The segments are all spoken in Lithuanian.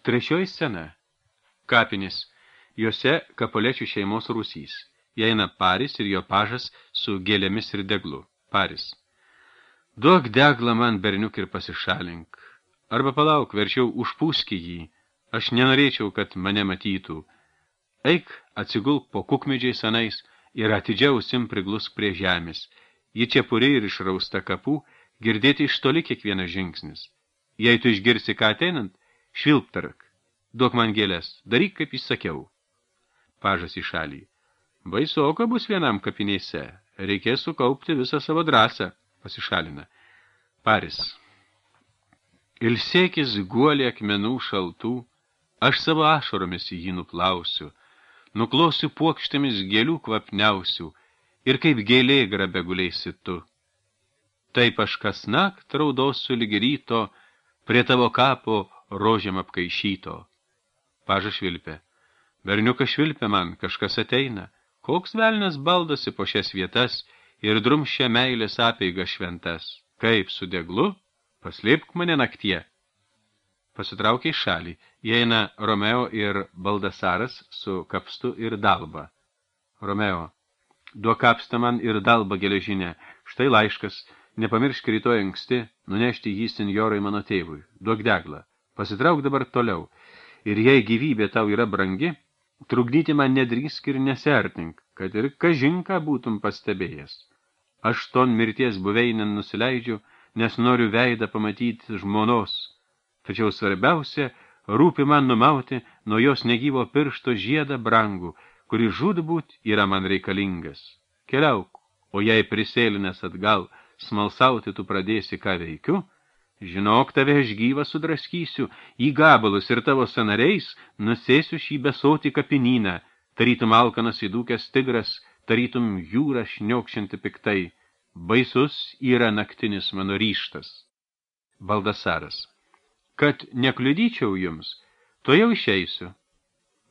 Trečioji scena. Kapinės. Jose Kapolečių šeimos rūsys. Įeina Paris ir jo pažas su gėlėmis ir deglu. Paris. Duok deglą man, berniuk, ir pasišalink. Arba palauk, verčiau užpūski jį. Aš nenorėčiau, kad mane matytų. Eik, atsigulk po kukmedžiai senais ir atidžiau ausim priglusk prie žemės. Ji čia puri ir išrausta kapų, girdėti iš toli kiekvienas žingsnis. Jei tu išgirsi ką ateinant, švilptark. Duok man gėlės, daryk, kaip įsakiau. Pažas į šalį. Baisoka bus vienam kapinėse. Reikės sukaupti visą savo drąsą. Pasišalina. Paris. Ilsėkis guolį akmenų šaltų, aš savo ašaromis jį nuplausiu, nuklosiu puokštėmis gėlių kvapniausių ir kaip gėlė grabe gulėsi tu. Taip aš kasnakt raudosiu lyg ryto prie tavo kapo rožėm apkaišyto. Pažas švilpė. Berniukas švilpė man, kažkas ateina. Koks velnas baldosi po šias vietas ir drumščia meilės apeiga šventas. Kaip su deglu? Paslėpk mane naktie. Pasitraukė į šalį. Įeina Romeo ir Baldasaras su kapstu ir dalba. Romeo. Duok kapstą man ir dalbą geležinę. Štai laiškas. Nepamiršk rytoj anksti nunešti jį senjorai mano tėvui. Duok deglą. Pasitrauk dabar toliau. Ir jei gyvybė tau yra brangi, trukdyti man nedrįsk ir nesertink, kad ir kažinką būtum pastebėjęs. Aš ton mirties buveinę nusileidžiu, nes noriu veidą pamatyti žmonos. Tačiau svarbiausia, rūpi man numauti nuo jos negyvo piršto žiedą brangų, kuri žudbūt yra man reikalingas. Keliauk, o jei prisėlinęs atgal, smalsauti tu pradėsi, ką veikiu, žinok, tave aš gyvą sudraskysiu, į gabalus ir tavo sanariais nusėsiu šį besotį kapinyną, tarytum alkanas įdūkęs tigras, tarytum jūra šniokščianti piktai. Baisus yra naktinis mano ryštas. Baldasaras. Kad nekliudyčiau jums, to jau išeisiu.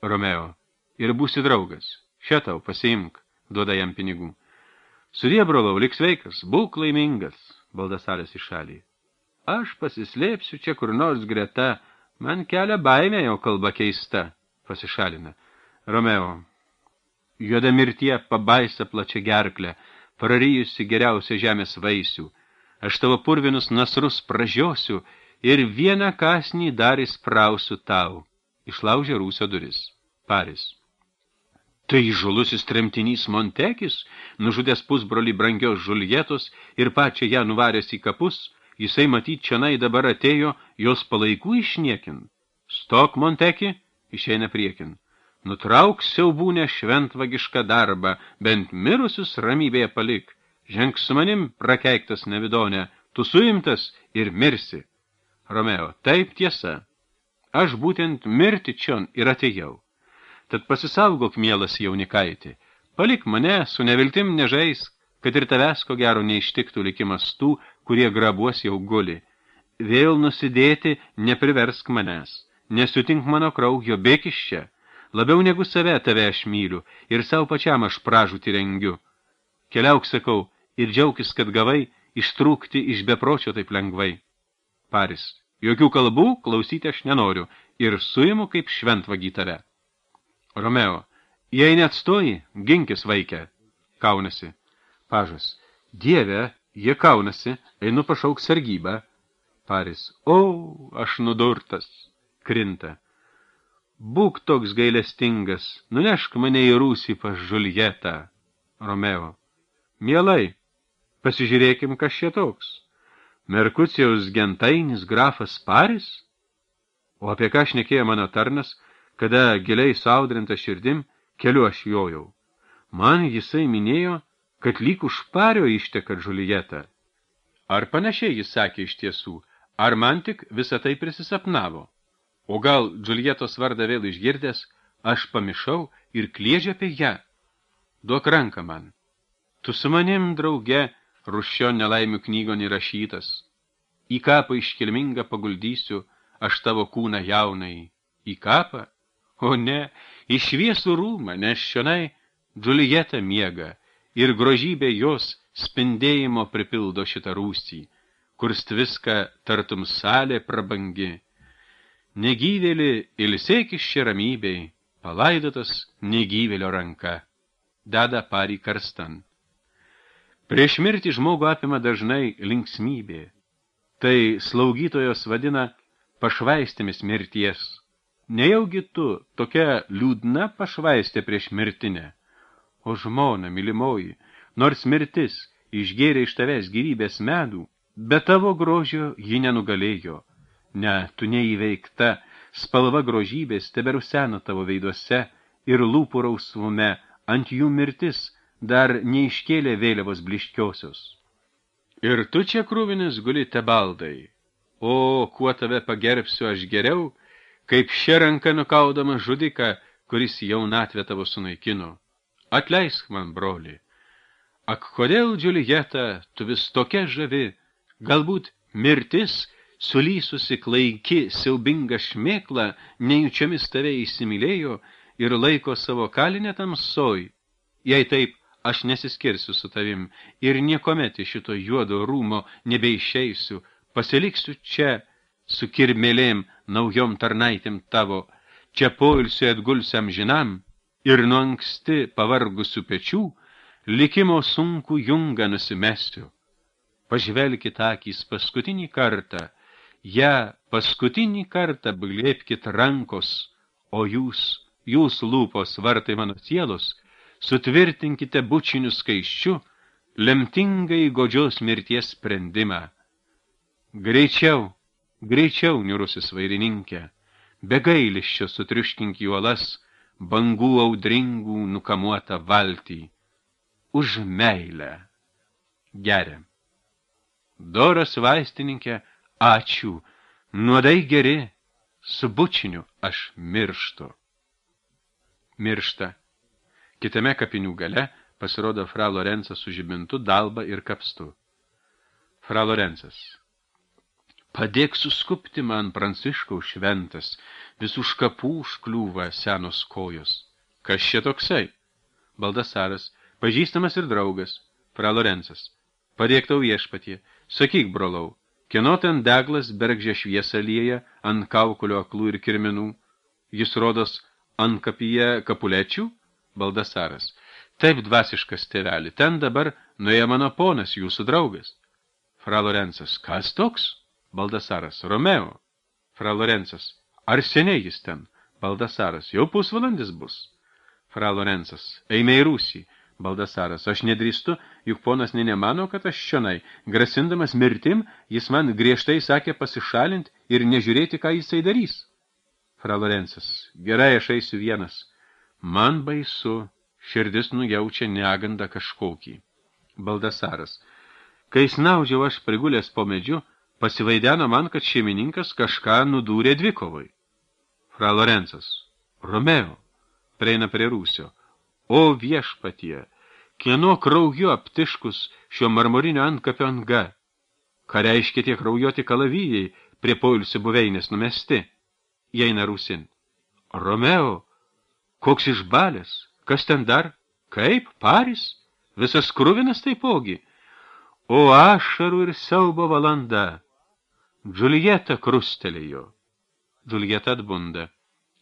Romeo. Ir būsi draugas. Šią tau pasiimk, duoda jam pinigų. Sudie, brolau, lik sveikas, būk laimingas. Baldasaras į šalį. Aš pasislėpsiu čia kur nors greta, man kelia baimė jau kalba keista. Pasišalina. Romeo. Juoda mirtie pabaisa plačia gerklę, prarijusi geriausia žemės vaisių. Aš tavo purvinus nasrus pražiosiu ir vieną kasnį dar įsprausiu tau. Išlaužė rūsio duris. Paris. Tai žulusis tremtinys Montekis, nužudęs pusbrolį brangios Žuljetos ir pačią ją nuvaręs į kapus, jisai matyt čianai dabar atėjo jos palaikų išniekin. Stok, Monteki, išeina priekin. Nutrauk siaubūnę šventvagišką darbą, bent mirusius ramybėje palik. Ženk su manim, prakeiktas nevidonė, tu suimtas ir mirsi. Romeo, taip tiesa. Aš būtent mirti čion ir atėjau. Tad pasisaugok, mielas jaunikaitį. Palik mane, su neviltim nežais, kad ir tavęs ko gero neištiktų likimas tų, kurie grabuos jau guli. Vėl nusidėti nepriversk manęs. Nesutink mano kraujo, bėk iš čia. Labiau negu save tave aš myliu ir savo pačiam aš pražūtį rengiu. Keliauk, sakau, ir džiaukis, kad gavai ištrūkti iš bepročio taip lengvai. Paris. Jokių kalbų klausyti aš nenoriu ir suimu kaip šventvagį tave. Romeo. Jei neatstoji, ginkis vaikę. Kaunasi. Pažas. Dieve, jie kaunasi, einu pašauk sargybą. Paris. O, aš nudurtas. Krinta. Būk toks gailestingas, nunešk mane į rūsį pas Žuljetą. Romeo. Mielai, pasižiūrėkim, kas čia toks. Merkucijaus gentainis grafas Paris? O apie ką šnekėjo mano tarnas, kada giliai saudrinta širdim keliu aš jojau. Man jisai minėjo, kad lyg už Pario išteka Žuljeta. Ar panašiai jis sakė iš tiesų, ar man tik visą tai prisisapnavo? O gal Žuljetos vardą vėl išgirdęs, aš pamišau ir kliežė apie ją. Duok ranką man. Tu su manim, drauge, Ruščio nelaimių knygon įrašytas. Į kapą iškilmingą paguldysiu, aš tavo kūną jaunai. Į kapą? O ne, į šviesų rūmą, nes šionai Džuljeta miega ir grožybė jos spindėjimo pripildo šitą rūsį, kur stviska tartum salė prabangi. Negyvėlį ilsėkis čia ramybei, palaidotas negyvėlio ranka. Deda parį karstan. Prieš mirtį žmogų apima dažnai linksmybė. Tai slaugytojos vadina pašvaistėmis mirties. Nejaugi tu tokia liūdna pašvaistė prieš mirtinę. O žmona, mylimoji, nors mirtis išgėrė iš tavęs gyvybės medų, bet tavo grožio ji nenugalėjo. Ne, tu neįveikta, spalva grožybės teberusena tavo veiduose ir lūpų rausvume, ant jų mirtis dar neiškėlė vėliavos bliškiosios. Ir tu čia krūvinis guli tebaldai. O, kuo tave pagerbsiu aš geriau, kaip šia ranka nukaudama žudiką, kuris jaunatvę tavo sunaikino. Atleisk man, broli. Ak, kodėl, Džiuljeta, tu vis tokia žavi, galbūt mirtis, sulysusi klaiki, siaubinga šmėkla, nejučiomis tave įsimylėjo ir laiko savo kalinę tamsoj. Jei taip, aš nesiskirsiu su tavim ir niekomet iš šito juodo rūmo nebeišeisiu, pasiliksiu čia su kirmėlėm naujom tarnaitėm tavo, čia poilsiu atgulsiam žinam ir nuo anksti pavargusių pečių likimo sunku jungą nusimesiu. Pažvelkit akys paskutinį kartą, paskutinį kartą glėbkit rankos, o jūs lūpos vartai mano sielos, sutvirtinkite bučiniu skaiščiu lemtingai godžios mirties sprendimą. Greičiau, niūrusis vairininkė, be gailesčio sutriuškink į uolas bangų audringų nukamuotą valtį. Už meilę. Geriam. Doras vaistininkė, ačiū, nuodai geri, su bučiniu aš mirštu. Miršta. Kitame kapinių gale pasirodo fra Lorenzas su žibintu, dalba ir kapstu. Fra Lorenzas. Padėk suskupti man, Pranciškaus šventas, visų škapų užkliūva senos kojos. Kas čia toksai? Baldasaras, pažįstamas ir draugas. Fra Lorenzas. Padėk tau viešpatie. Sakyk, brolau, kieno ten deglas bergždžią šviesą lieja ant kaukulio aklų ir kirminų? Jis rodos ant kapyje kapulečių? Baldasaras. Taip, dvasiškas tėveli, ten dabar nuėjo mano ponas, jūsų draugas. Fra Lorenzas. Kas toks? Baldasaras. Romeo. Fra Lorenzas. Ar seniai jis ten? Baldasaras. Jau pusvalandis bus. Fra Lorenzas. Eime į Rūsį. Baldasaras. Aš nedrįstu, juk ponas nemano, kad aš čionai. Grasindamas mirtim, jis man griežtai sakė pasišalint ir nežiūrėti, ką jisai darys. Fra Lorenzas. Gerai, aš eisiu vienas. Man baisu, širdis nujaučia negandą kažkokį. Baldasaras. Kai snaudžiau aš prigulęs po medžiu, pasivaideno man, kad šeimininkas kažką nudūrė dvikovai. Fra Lorenzas. Romeo. Prieina prie Rūsio. O viešpatie, kieno krauju aptiškus šio marmorinio antkapio anga? Ką reiškia tie kraujoti kalavijai prie poilsio buveinės numesti? Įeina Rūsin. Romeo. Koks išbalės? Kas ten dar? Kaip? Paris? Visas kruvinas taipogi. O ašarų ir siaubo valanda. Džiuljeta krustelėjo. Džiuljeta atbunda.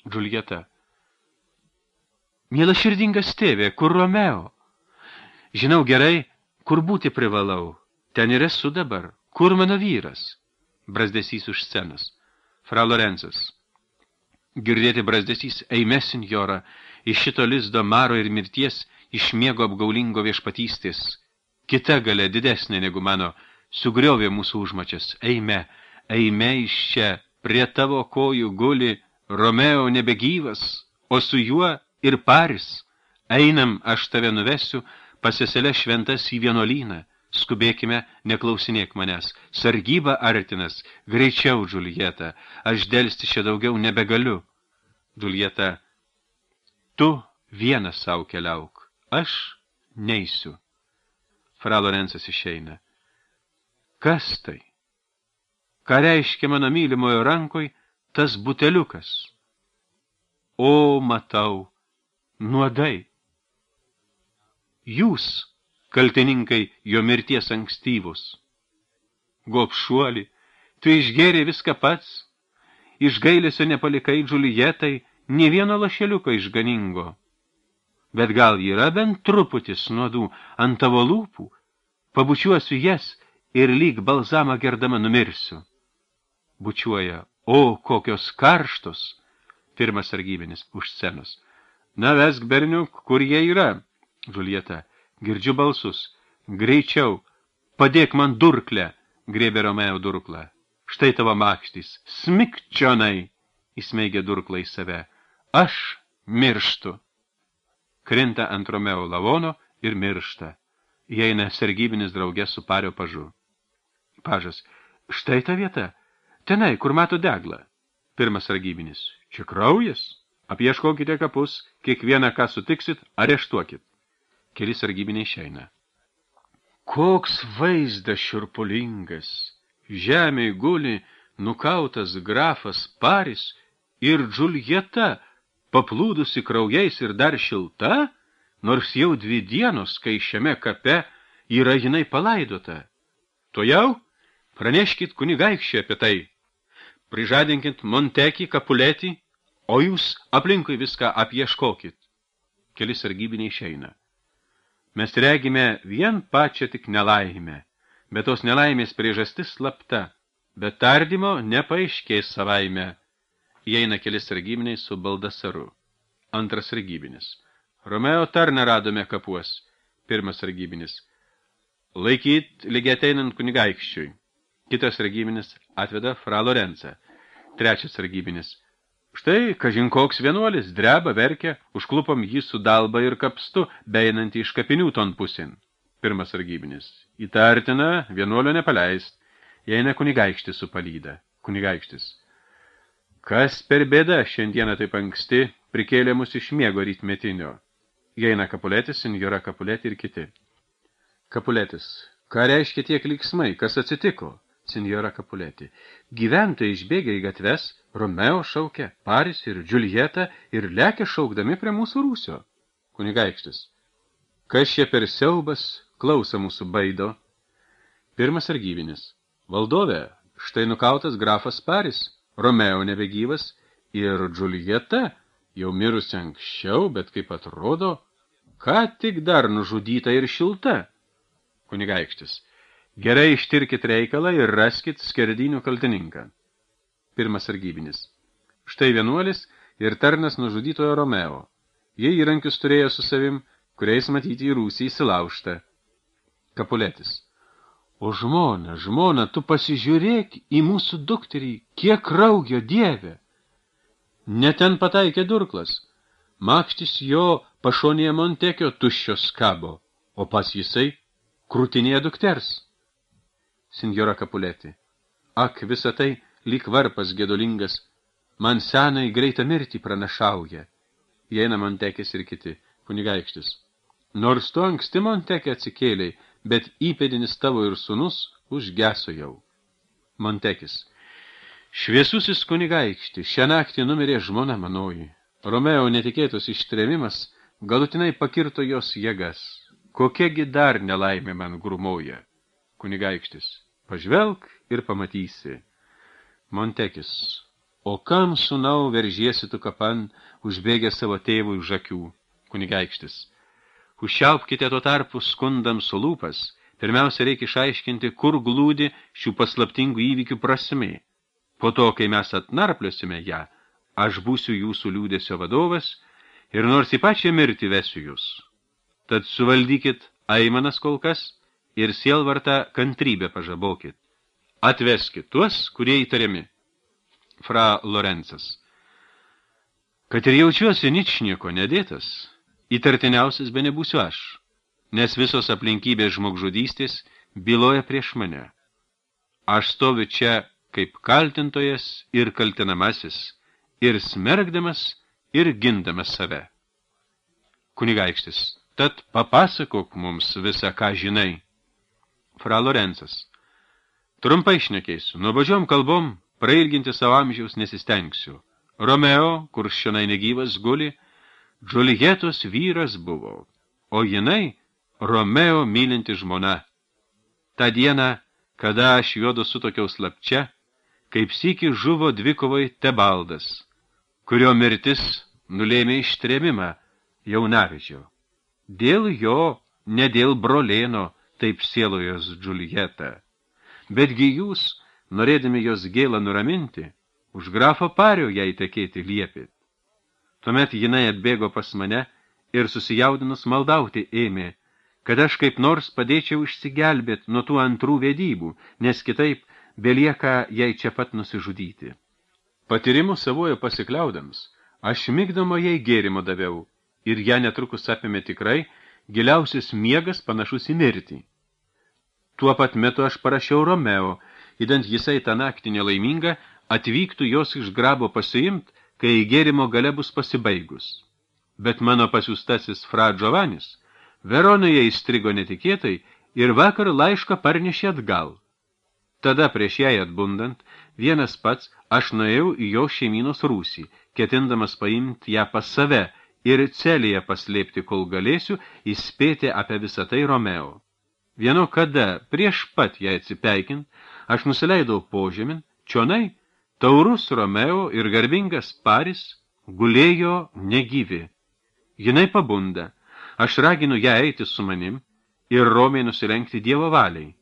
Džiuljeta. Miela širdingas tėvė, kur Romeo? Žinau gerai, kur būti privalau. Ten ir esu dabar. Kur mano vyras? Brazdesys už scenos. Fra Lorenzas. Girdėti brazdesys, eime, senjora, iš šito lizdo maro ir mirties, iš miego apgaulingo viešpatystės. Kita galia didesnė negu mano, sugriovė mūsų užmačias. Eime iš čia, prie tavo kojų guli Romeo nebegyvas, o su juo ir Paris. Einam, aš tave nuvesiu, pas seselę šventas į vienuolyną. Skubėkime, neklausinėk manęs. Sargyba artinas, greičiau, Džiuljeta, aš delsti čia daugiau nebegaliu. Džiuljeta, tu vienas savo keliauk, aš neisiu. Fra Lorenzas išeina. Kas tai? Ką reiškia mano mylimojo rankoj tas buteliukas? O, matau, nuodai. Jūs, kaltininkai jo mirties ankstyvus. Gobšuoli, tu išgėrė viską pats. iš gailesio nepalikai Džiuljetai nė vieno lašeliuko išganingo. Bet gal yra bent truputis nuodų ant tavo lūpų, pabučiuosiu jas ir lyg balzamą gerdama numirsiu. Bučiuoja, o kokios karštos, pirmas sargybinis už scenos. Na, vesk, berniuk, kur jie yra? Džiuljeta, girdžiu balsus. Greičiau, padėk man durklę, griebė Romeo durklą. Štai tavo makštys, smikčionai, įsmeigė durklą į save. Aš mirštu. Krinta ant Romeo lavono ir miršta. Įeina sargybinis draugė su pario pažu. Pažas, štai ta vieta, tenai, kur mato deglą. Pirmas sargybinis, čia kraujas, apieškokite kapus, kiekvieną, ką sutiksit, areštuokit. Keli sargybiniai išeina. Koks vaizdas šiurpulingas, žemėj guli nukautas grafas Paris ir Džiuljeta, paplūdusi kraujais ir dar šilta, nors jau 2 dienos, kai šiame kape yra jinai palaidota. Tuojau praneškit kunigaikščiui apie tai. Prižadinkit Montekį, Kapuletį, o jūs aplinkui viską apieškokit. Keli sargybiniai išeina. Mes regime vien pačią tik nelaimę, bet tos nelaimės priežastis slapta, bet tardymo nepaaiškės savaime. Įeina keli sargybiniai su Baldasaru. Antras sargybinis. Romeo tarną radome kapuos. Pirmas sargybinis. Laikyt lygiai ateinant kunigaikščiui. Kitas sargybinis atveda fra Lorencą. Trečias sargybinis. Štai, kažin koks vienuolis, dreba, verkia, užklupom jį su dalba ir kapstu, beinantį iš kapinių ton pusėn. Pirmas sargybinis. Įtartina, vienuolio nepaleist. Įeina kunigaikštis su palyda. Kunigaikštis. Kas per bėda šiandieną taip anksti prikėlė mus iš miego rytmetinio. Įeina Kapuletis, senjora Kapuletė ir kiti. Kapuletis. Ką reiškia tiek liksmai? Kas atsitiko? Senjora Kapuletė. Gyventojai išbėgė į gatves, Romeo šaukia, Paris ir Džiuljeta ir lekia šaukdami prie mūsų rūsio. Kunigaikštis. Kas čia per siaubas, klausa mūsų baido. Pirmas sargybinis. Valdove, štai nukautas grafas Paris, Romeo nebegyvas ir Džiuljeta, jau mirusi anksčiau, bet kaip atrodo, ką tik dar nužudyta ir šilta. Kunigaikštis. Gerai ištirkit reikalą ir raskit skerdynių kaltininką. Pirmas sargybinis. Štai vienuolis ir tarnas nužudytojo Romeo. Jie įrankius turėjo su savim, kuriais matyti į rūsį įsilaužta. Kapuletis. O žmona, tu pasižiūrėk į mūsų dukterį, kiek kraujo, Dieve. Ne ten pataikė durklas. Makštis jo pašonėje Montekio tuščios kabo, o pas jisai krūtinėje dukters. Senjora Kapuletė. Ak, visa tai lyg varpas gedulingas, man senai greitą mirtį pranašauja. Įeina Montekis ir kiti. Kunigaikštis. Nors tu anksti Montekė atsikėliai, bet įpėdinis tavo ir sūnus užgeso jau. Montekis. Šviesusis kunigaikšti, šią naktį numirė žmona manoji. Romeo netikėtos ištrėmimas galutinai pakirto jos jėgas. Kokiagi dar nelaimė man grūmoja? Kunigaikštis. Pažvelk ir pamatysi. Montekis. O kam, sūnau, veržiesi tu kapan, užbėgę savo tėvui už akių? Kunigaikštis. Užšiaupkite tuo tarpu skundams su lūpas. Pirmiausia, reikia išaiškinti, kur glūdi šių paslaptingų įvykių prasmė. Po to, kai mes atnarpliosime ją, aš būsiu jūsų liūdėsio vadovas ir nors į pačią mirtį vesiu jūs. Tad suvaldykit aimanas kol kas ir sielvartą kantrybę pažabokit. Atveskit tuos, kurie įtariami. Fra Lorencas. Kad ir jaučiuosi ničnieko nedėtas, įtartiniausias be nebūsiu aš, nes visos aplinkybės žmogžudystės byloja prieš mane. Aš stoviu čia kaip kaltintojas ir kaltinamasis, ir smergdamas, ir gindamas save. Kunigaikštis, tad papasakok mums visą, ką žinai. Fra Lorencas. Trumpai šnekėsiu, nuobodžiom kalbom prailginti savo amžiaus nesistengsiu. Romeo, kur šiandien negyvas guli, Džiuljetos vyras buvo, o jinai Romeo mylinti žmona. Ta diena, kada aš juodu sutokiau slapčia, kaip sykį žuvo dvikovai Tebaldas, kurio mirtis nulėmė ištrėmimą jaunavedžio. Dėl jo, ne dėl brolėno, taip sielojos Džiuljeta. Betgi jūs, norėdami jos gėlą nuraminti, už grafo Pario jai tekėti liepėt. Tuomet jinai atbėgo pas mane ir susijaudinus maldauti ėmė, kad aš kaip nors padėčiau išsigelbėt nuo tų antrų vedybų, nes kitaip belieka jai čia pat nusižudyti. Patyrimu savojo pasikliaudams, aš migdomo jai gėrimo daviau, ir ją netrukus apėmė tikrai giliausias miegas panašus į mirtį. Tuo pat metu aš parašiau Romeo, idant jisai tą naktį nelaiminga atvyktų jos iš grabo pasiimt, kai gėrimo gale bus pasibaigus. Bet mano pasiųstasis Fra Giovannis Veronoje įstrigo netikėtai ir vakar laišką parnešė atgal. Tada prieš jai atbundant, vienas pats aš nuėjau į jo šeimynos rūsį, ketindamas paimti ją pas save ir celėje paslėpti, kol galėsiu įspėti apie visą tai Romeo. Vieno kada, prieš pat ją atsipeikint, aš nusileidau požemin, čionai, taurus Romeo ir garbingas Paris gulėjo negyvi. Jinai pabunda, aš raginu ją eiti su manim ir romiai nusilenkti Dievo valiai,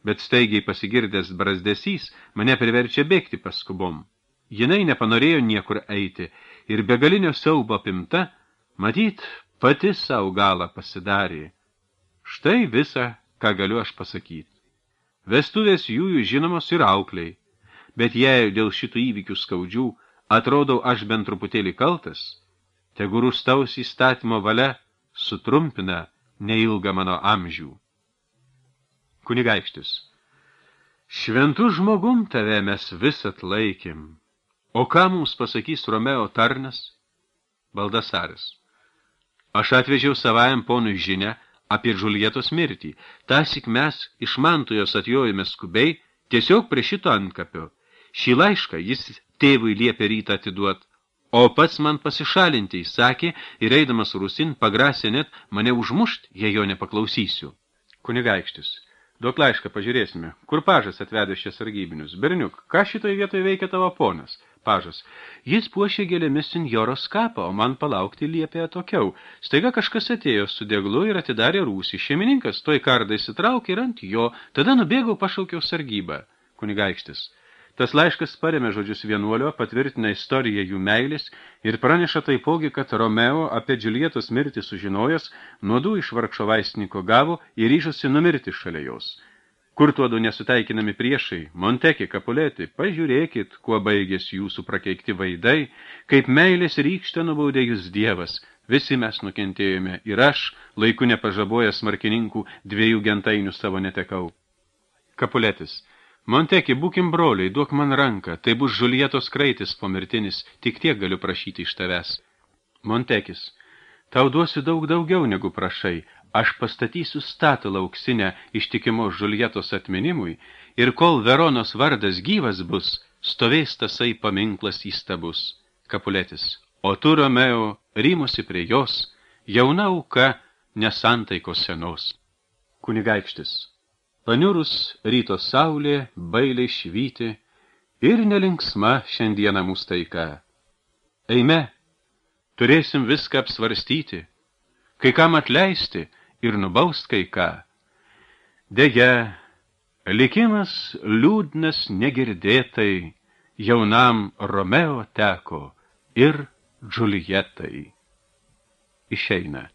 bet staigiai pasigirdęs brazdesys mane priverčia bėgti paskubom. Jinai nepanorėjo niekur eiti ir begalinio siaubo apimta, matyt, pati savo galą pasidarė. Štai visa, ką galiu aš pasakyti. Vestuvės jųjų žinomos ir aukliai, bet jei dėl šitų įvykių skaudžių atrodau aš bent truputėlį kaltas, tegu rūstaus įstatymo valia sutrumpina neilgą mano amžių. Kunigaikštis, šventų žmogum tave mes vis atlaikėm, o ką mums pasakys Romeo tarnas? Baldasaris, aš atvežiau savajam ponui žinią apie Džiuljetos mirtį. Tąsyk mes iš Mantujos atjojame skubiai, tiesiog prie šito antkapio. Šį laišką jis tėvui liepė rytą atiduot, o pats man pasišalinti įsakė ir eidamas rūsin pagrasė net mane užmušt, jei jo nepaklausysiu. Kunigaikštis, duok laišką, pažiūrėsime. Kur pažas atvedė šias sargybinius? Berniuk, ką šitoje vietoje veikia tavo ponas? Pažas, jis puošė gėlėmis senjoros kapą, o man palaukti liepė atokiau. Staiga kažkas atėjo su deglu ir atidarė rūsį. Šeimininkas toj kardą įsitraukė ir ant jo, tada nubėgau, pašaukiau sargybą. Kunigaikštis, tas laiškas paremė žodžius vienuolio, patvirtina istoriją jų meilės ir praneša taipogi, kad Romeo apie Džiuljetos mirtį sužinojęs, nuodų iš vargšo vaistininko gavo ir ryžosi numirti šalia jos. Kur tuodu nesutaikinami priešai, Monteki, Kapuleti, pažiūrėkit, kuo baigėsi jūsų prakeikti vaidai, kaip meilės rykštę nubaudė jūs Dievas. Visi mes nukentėjome ir aš, laiku nepažabojęs smarkininkų, 2 gentainių savo netekau. Kapuletis, Monteki, būkim broliai, duok man ranką, tai bus Džiuljetos kraitis pomirtinis, tik tiek galiu prašyti iš tavęs. Montekis, tau duosiu daug daugiau negu prašai. Aš pastatysiu statulą auksinę ištikimos Džiuljetos atminimui ir kol Veronos vardas gyvas bus, stovės tasai paminklas įstabus. Kapuletis, o tu, Romeo, rymosi prie jos, jauna auka nesantaikos senos. Kunigaikštis, paniurus ryto saulė bailiai švyti ir nelinksma šiandieną mūsų taika. Eime, turėsim viską apsvarstyti, kai kam atleisti ir nubaust kai ką. Deja, likimas liūdnas negirdėtai jaunam Romeo teko ir Džiuljetai. Išeina.